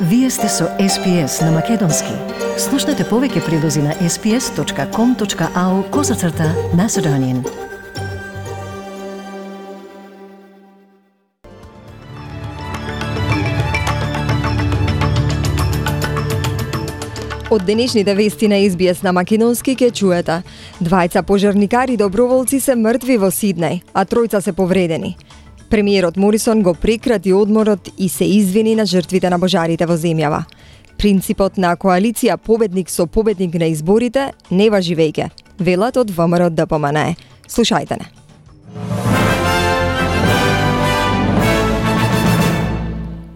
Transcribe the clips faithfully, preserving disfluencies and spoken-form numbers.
Вие сте со Ес Пи Ес на Македонски. Слушнете повеќе прилози на ес пи ес точка ком точка ау козацрта Macedonian. Од денешните вести на Ес Би Ес на Македонски ке чуете. Двајца пожарникари доброволци се мртви во Сиднеј, а тројца се повредени. Премиерот Морисон го прекрати одморот и се извини на жртвите на пожарите во земјава. Принципот на коалиција победник со победник на изборите не важи веќе, велат од Вэ Ем Ер Д П М Н. Слушајте не.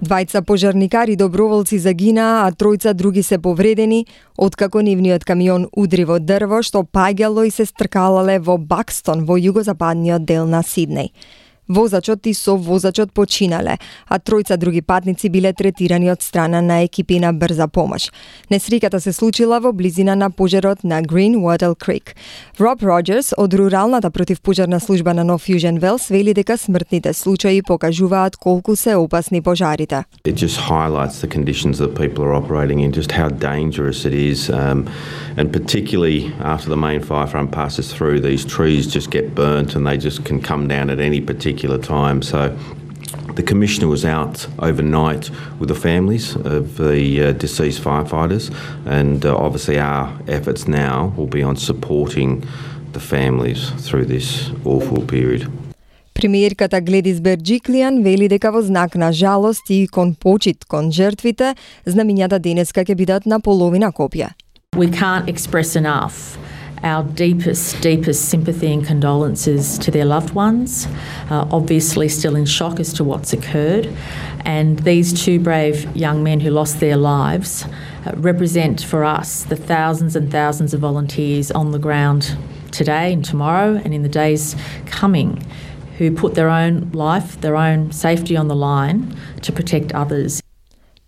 Двајца пожарникари доброволци загинаа, а тројца други се повредени, откако нивниот камион удри во дрво што паѓало и се стркалале во Бакстон во југозападниот дел на Сиднеј. Возачот и совозачот починале, а тројца други патници биле третирани од страна на екипи на брза помош. Несреќата се случила во близина на пожарот на Greenwater Creek. Роб Роджерс од руралната противпожарна служба на North Fusion Wells вели дека смртните случаи покажуваат колку се опасни пожарите. It just highlights the conditions that people are operating in, just how dangerous it is, um, and particularly after the main fire front passes through, these trees just get burnt and they just can come down at any particular time. So the Commissioner was out overnight with the families of the uh, deceased firefighters, and uh, obviously our efforts now will be on supporting the families through this awful period. Премиерката Гледис Берџиклијан вели дека во знак на жалост и кон почит кон жртвите, знамињата денеска ќе бидат на половина копија. We can't express enough our deepest, deepest sympathy and condolences to their loved ones, uh, obviously still in shock as to what's occurred. And these two brave young men who lost their lives uh, represent for us the thousands and thousands of volunteers on the ground today and tomorrow and in the days coming who put their own life, their own safety on the line to protect others.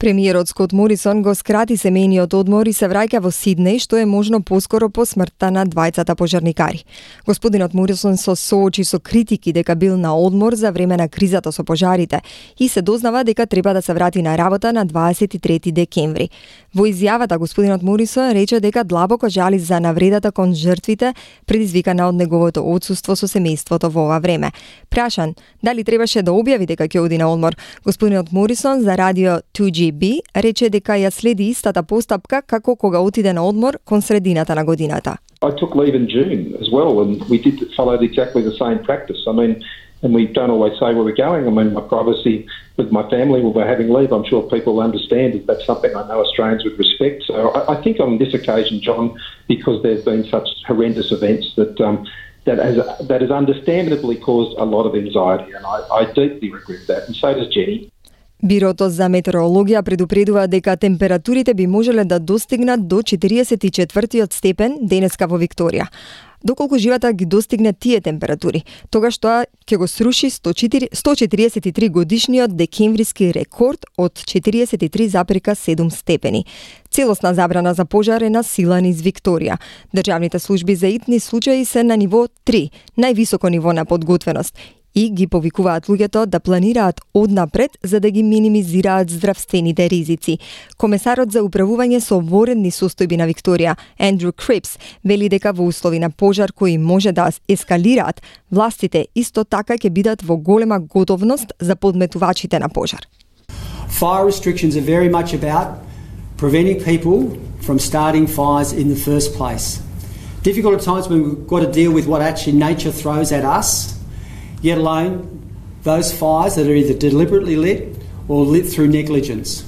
Премиерот Скот Морисон го скрати семејниот одмор и се враќа во Сиднеј, што е можно поскоро по смртта на двајцата пожарникари. Господинот Морисон се соочи со критики дека бил на одмор за време на кризата со пожарите и се дознава дека треба да се врати на работа на дваесет и трети декември. Во изјавата господинот Морисон рече дека длабоко жали за навредата кон жртвите предизвикана од неговото отсуство со семејството во ова време. Прашан дали требаше да објави дека ќе оди на одмор, господинот Морисон за радио two G B рече дека ја следи истата постапка како кога отиде на одмор кон средината на годината. I took leave in June as well, and we did follow exactly the same practice. I mean, and we don't always say where we're going. I mean, my privacy with my family when we're having leave, I'm sure people understand that that's something I know Australians would respect. So I, I think on this occasion, John, because there's been such horrendous events that um, that has that has understandably caused a lot of anxiety, and I, I deeply regret that, and so does Jenny. Бирото за метеорологија предупредува дека температурите би можеле да достигнат до четириесет и четвртиот степен денеска во Викторија. Доколку живата ги достигне тие температури, тогаш тоа ќе го сруши сто четириесет и три годишниот декемвриски рекорд од четириесет и три зарез и седум степени. Целосна забрана за пожар е на сила низ Викторија. Државните служби за итни случаи се на ниво три, највисоко ниво на подготвеност, и ги повикуваат луѓето да планираат однапред за да ги минимизираат здравствените ризици. Комесарот за управување со воредни состојби на Викторија, Ендрю Крипс, вели дека во услови на пожар кои може да ескалираат, властите исто така ќе бидат во голема готовност за подметувачите на пожар. Fire restrictions are very much about preventing people from starting fires in the first place. Difficult at times when we've got to deal with what actually nature throws at us, yet alone those fires that are either deliberately lit or lit through negligence.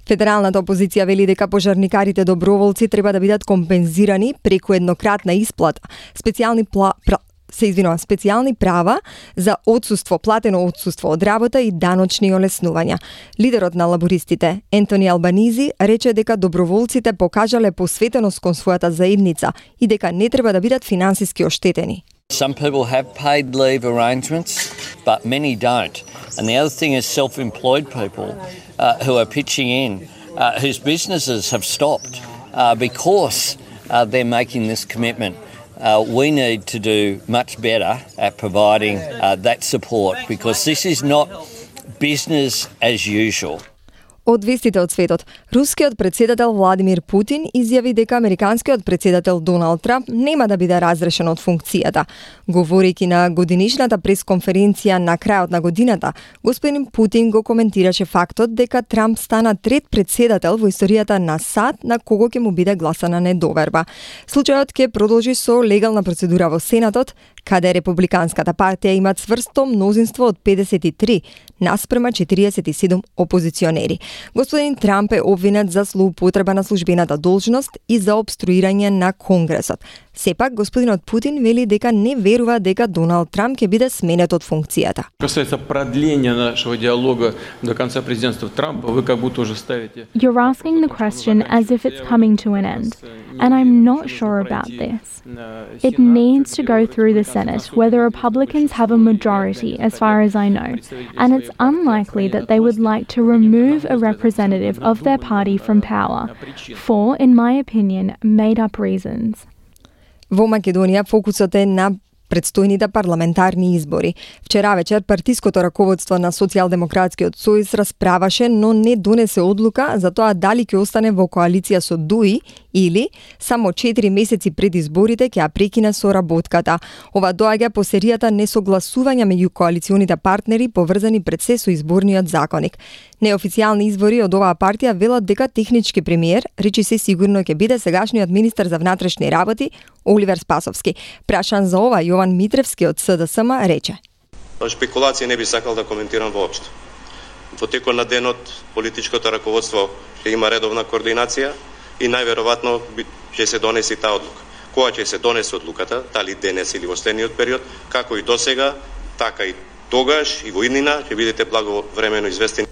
Федералната опозиција вели дека пожарникарите доброволци треба да бидат компензирани преку еднократна исплата, специјални пла, пра, се извинува, специјални права за отсуство, платено отсуство од работа и даночни олеснувања. Лидерот на лабористите, Ентони Албанизи, рече дека доброволците покажале посветеност кон својата заедница и дека не треба да бидат финансиски оштетени. Some people have paid leave arrangements, but many don't. And the other thing is self-employed people uh, who are pitching in, uh, whose businesses have stopped uh, because uh, they're making this commitment. Uh, we need to do much better at providing uh, that support because this is not business as usual. Од вестите од светот, рускиот председател Владимир Путин изјави дека американскиот председател Доналд Трамп нема да биде разрешен од функцијата. Говорејќи на годинишната пресконференција на крајот на годината, господин Путин го коментираше фактот дека Трамп стана трет председател во историјата на САД на кого ќе му биде гласана недоверба. Случајот ќе продолжи со легална процедура во Сенатот, каде Републиканската партија има цврсто мнозинство од педесет и три наспрема четириесет и седум опозиционери. Господин Трамп е обвинет за злоупотреба на службената должност и за обструирање на Конгресот. Сепак, господинот Путин вели дека не верува дека Доналд Трамп ќе биде сменет од функцијата. Касается продления нашего диалога до конца президентства Трампа, вы как будто уже ставите. You're asking the question as if it's coming to an end, and I'm not sure about this. It needs to go through the Senate, where the Republicans have a majority, as far as I know, and it's unlikely that they would like to remove a representative of their party from power for, in my opinion, made-up reasons. Во Македонија фокусот е на предстојните парламентарни избори. Вчера вечер партиското раководство на Социјалдемократскиот сојуз расправаше, но не донесе одлука за тоа дали ќе остане во коалиција со ДУ И или само четири месеци пред изборите ќе ја прекине соработката. Ова доаѓа по серијата несогласувања меѓу коалиционите партнери поврзани пред се со изборниот законник. Неофицијални извори од оваа партија велат дека технички премиер, речи се сигурно ќе биде сегашниот министер за внатрешни работи Оливер Спасовски. Прашан за ова, Јован Митревски од С Д С М рече: Шпекулација не би сакал да коментирам воопшто. Во текот на денот политичкото раководство ќе има редовна координација и најверојатно ќе се донеси таа одлука. Кога ќе се донесе одлуката, дали денес или во следниот период, како и досега, така и тогаш и во иднина ќе бидете благовремено известени.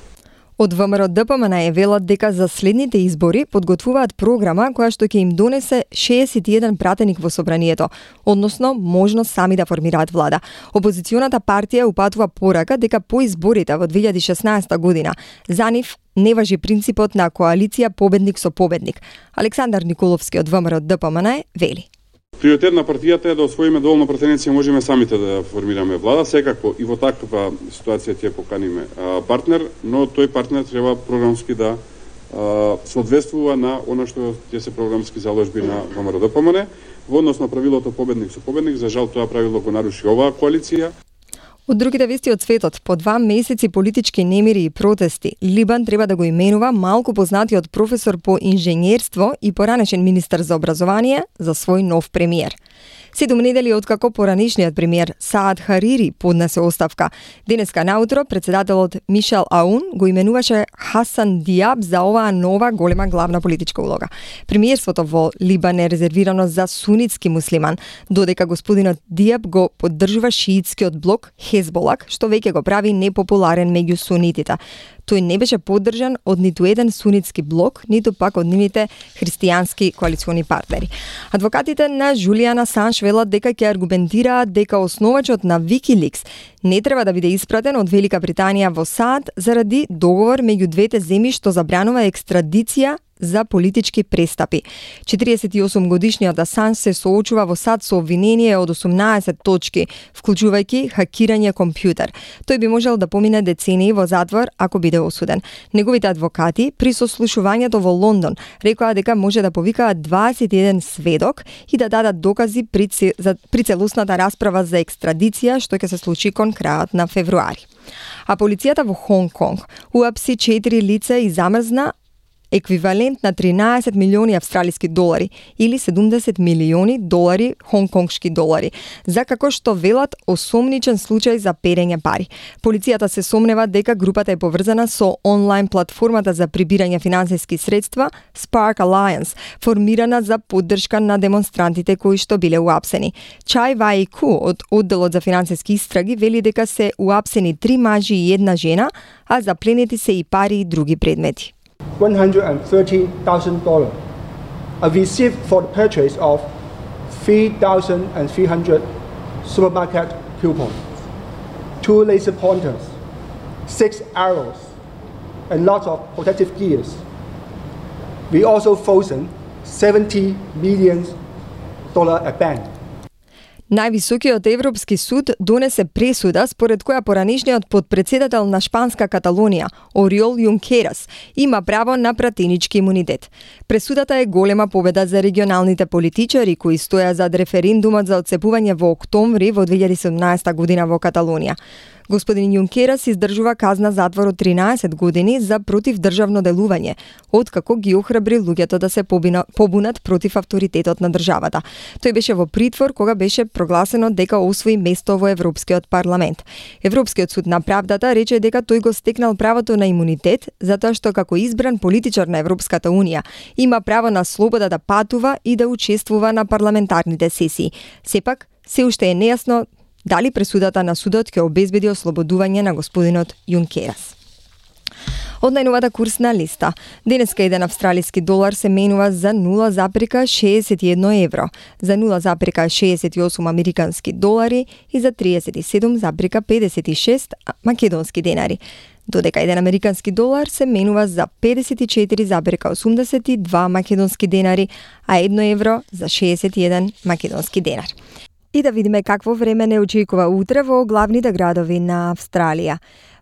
Од В М Р Д П М Н е велат дека за следните избори подготвуваат програма која што ќе им донесе шеесет и еден пратеник во собранието, односно можност сами да формираат влада. Опозиционата партија упатува порака дека по изборите во две илјади и шеснаесета година за нив не важи принципот на коалиција победник со победник. Александар Николовски од В М Р Д П М Н вели: Приоритет на партијата е да освоиме доволно пратеници и можеме самите да формираме влада. Секако и во таква ситуација ќе поканиме а, партнер, но тој партнер треба програмски да а, соодветствува на она што ќе се програмски заложби на В М Р Д П М Н. Во однос на правилото победник со победник, за жал тоа правило го наруши оваа коалиција. Од другите вести од светот, по два месеци политички немири и протести, Либан треба да го именува малку познатиот професор по инженерство и поранешен министер за образование за свој нов премиер. Седум недели откако поранешниот премиер Саад Харири поднесе оставка. Денеска наутро председателот Мишел Аун го именуваше Хасан Диаб за оваа нова голема главна политичка улога. Премиерството во Либан е резервирано за сунитски муслиман, додека господинот Диаб го поддржува шиитскиот блок Хезболак, што веќе го прави непопуларен меѓу сунитите. Тој не беше поддржан од ниту еден сунитски блок, ниту пак од нивните христијански коалициони партнери. Адвокатите на Џулијан Асанж велат дека ќе аргументираат дека основачот на Wikileaks не треба да биде испратен од Велика Британија во САД заради договор меѓу двете земји што забранува екстрадиција за политички престапи. четириесет и осум годишниот Асанж се соочува во САД со обвинение од осумнаесет точки, вклучувајќи хакирање компјутер. Тој би можел да помине децении во затвор ако биде осуден. Неговите адвокати при сослушувањето во Лондон рекоа дека може да повикаат дваесет и еден сведок и да дадат докази при, за, при целосната расправа за екстрадиција што ќе се случи кон крајот на февруари. А полицијата во Хонг Конг уапси четири лица и замрзна еквивалент на тринаесет милиони австралиски долари или седумдесет милиони долари хонконгшки долари, за како што велат осомничен случај за перење пари. Полицијата се сомнева дека групата е поврзана со онлайн платформата за прибирање финансиски средства Spark Alliance, формирана за поддршка на демонстрантите кои што биле уапсени. Чај Вај Ку од одделот за финансиски истраги вели дека се уапсени три мажи и една жена, а запленети се и пари и други предмети. one hundred thirty thousand dollars are received for the purchase of three thousand three hundred supermarket coupons, two laser pointers, six arrows, and lots of protective gears. We also frozen seventy million dollars at bank. Највисокиот Европски суд донесе пресуда според која поранешниот подпредседател на Шпанска Каталонија, Ориол Јункерас, има право на пратенички имунитет. Пресудата е голема победа за регионалните политичари кои стоја зад референдумот за отцепување во октомври во две илјади и седумнаесета година во Каталонија. Господин Јункерас издржува казна затвор од тринаесет години за противдржавно делување, откако ги охрабри луѓето да се побунат против авторитетот на државата. Тој беше во притвор кога беше прогласено дека освои место во Европскиот парламент. Европскиот суд на правдата рече дека тој го стекнал правото на имунитет затоа што како избран политичар на Европската унија има право на слобода да патува и да учествува на парламентарните сесии. Сепак, се уште е нејасно дали пресудата на судот ќе обезбеди ослободување на господинот Јункерас. Од најновата курсна листа. Денеска еден австралиски долар се менува за нула запирка шеесет и едно евро, за нула запирка шеесет и осум американски долари и за триесет и седум запирка педесет и шест македонски денари. Додека еден американски долар се менува за педесет и четири запирка осумдесет и два македонски денари, а едно евро за шеесет и еден македонски денар. И да видиме какво време не очекува утре во главните градови на Австралија.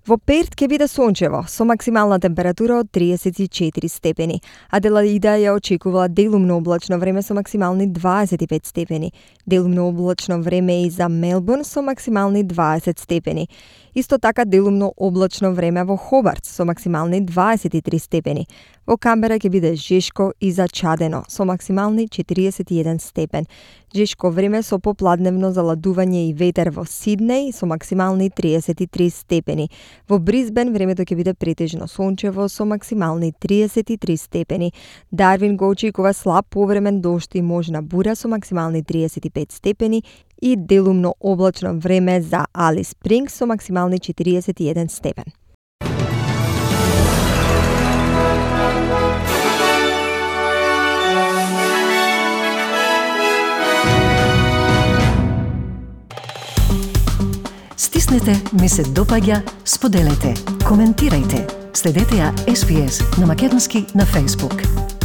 Во Перт ќе биде сончево, со максимална температура од триесет и четири степени. Аделаида ја очекувала делумно облачно време со максимални дваесет и пет степени. Делумно облачно време и за Мелбурн со максимални дваесет степени. Исто така делумно облачно време во Хобарт со максимални дваесет и три степени. Во Камбера ќе биде жешко и зачадено со максимални четириесет и еден степен. Жешко време со попладневно заладување и ветер во Сиднеј со максимални триесет и три степени. Во Брисбен времето ќе биде претежно сончево со максимални триесет и три степени. Дарвин го очекува слаб повремен дожд и можна бура со максимални триесет и пет степени и делумно облачно време за Алис Спрингс со максимални четириесет и еден степен. Стиснете, ми се допаѓа, споделете, коментирајте. Следете ја Ес Би Ес на македонски на Facebook.